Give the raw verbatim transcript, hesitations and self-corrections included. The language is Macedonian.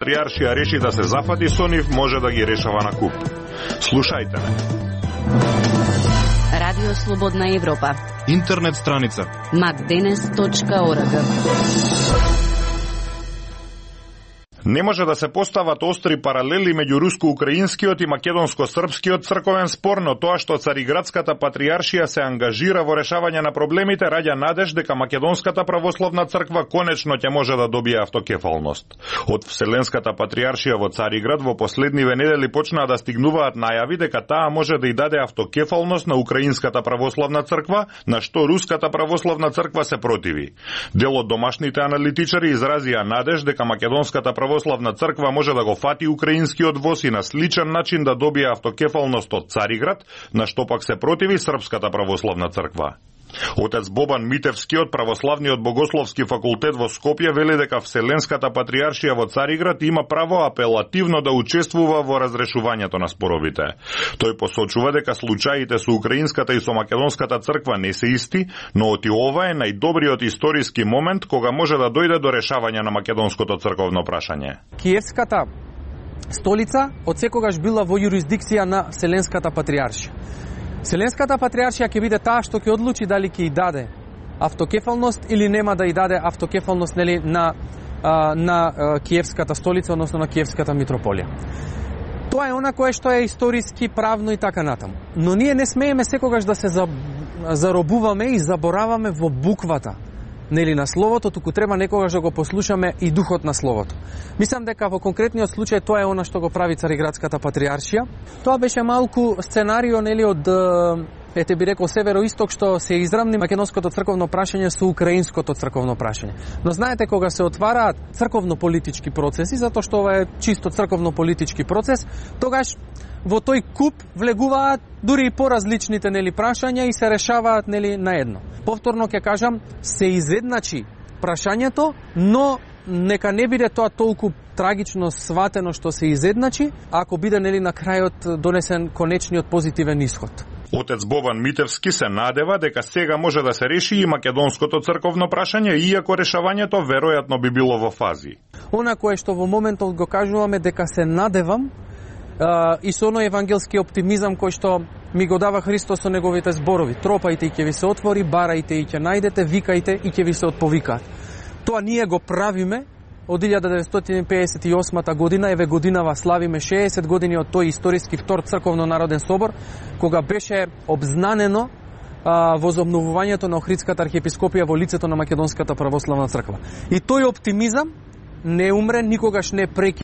Патриаршија реши да се зафати со нив, може да ги решава на куп. Слушајте ме. Радио Слободна Европа. Интернет страница макденес точка орг. Не може да се постават остри паралели меѓу руско-украинскиот и македонско-српскиот црковен спор, но тоа што Цариградската патриаршија се ангажира во решавање на проблемите раѓа надеж дека Македонската православна црква конечно ќе може да добие автокефалност. Од Вселенската патриаршија во Цариград во последниве недели почнаа да стигнуваат најави дека таа може да и даде автокефалност на Украинската православна црква, на што Руската православна црква се противи. Дел од домашните аналитичари изразија надеж дека Македонската православна црква може да го фати украинскиот воз и на сличен начин да добие автокефалност од Цариград, на што пак се противи Српската православна црква. Отец Бобан Митевски од Православниот богословски факултет во Скопје вели дека Вселенската патриаршија во Цариград има право апелативно да учествува во разрешувањето на споровите. Тој посочува дека случаите со украинската и со македонската црква не се исти, но оти ова е најдобриот историски момент кога може да дојде до решавање на македонското црковно прашање. Киевската столица одсекогаш била во јурисдикција на Вселенската патриаршија. Вселенската патриаршија ќе биде таа што ќе одлучи дали ќе и даде автокефалност или нема да и даде автокефалност, нели, на а, на а, Киевската столица, односно на Киевската митрополија. Тоа е она кое што е историски, правно и така натаму. Но ние не смееме секогаш да се заробуваме и забораваме во буквата, нели, на словото, туку треба некогаш да го послушаме и духот на словото. Мислам дека во конкретниот случај тоа е она што го прави Цариградската патриаршија. Тоа беше малку сценарио, нели, од, ете би рекол, североисток, што се изравни македонското црковно прашање со украинското црковно прашање. Но знаете, кога се отвараат црковно-политички процеси, затоа што ова е чисто црковно-политички процес, тогаш во тој куп влегуваат дури и поразличните, нели, прашања и се решаваат, нели, на едно. Повторно ќе кажам, се изедначи прашањето, но нека не биде тоа толку трагично сватено што се изедначи, ако биде, нели, на крајот донесен конечниот позитивен исход. Отец Бобан Митевски се надева дека сега може да се реши и македонското црковно прашање, иако решавањето веројатно би било во фази. Она кое што во моментот го кажуваме дека се надевам, и со оној евангелски оптимизам кој што ми го дава Христос со неговите зборови. Тропајте и ќе ви се отвори, барајте и ќе најдете, викајте и ќе ви се отповикаат. Тоа ние го правиме од илјада деветстотини пеесет и осма година, еве годинава славиме шеесет години од тој историски втор црковно народен собор, кога беше обзнанено а, возобновувањето на Охридската архиепископија во лицето на Македонската православна црква. И тој оптимизам не умре, никогаш не преки.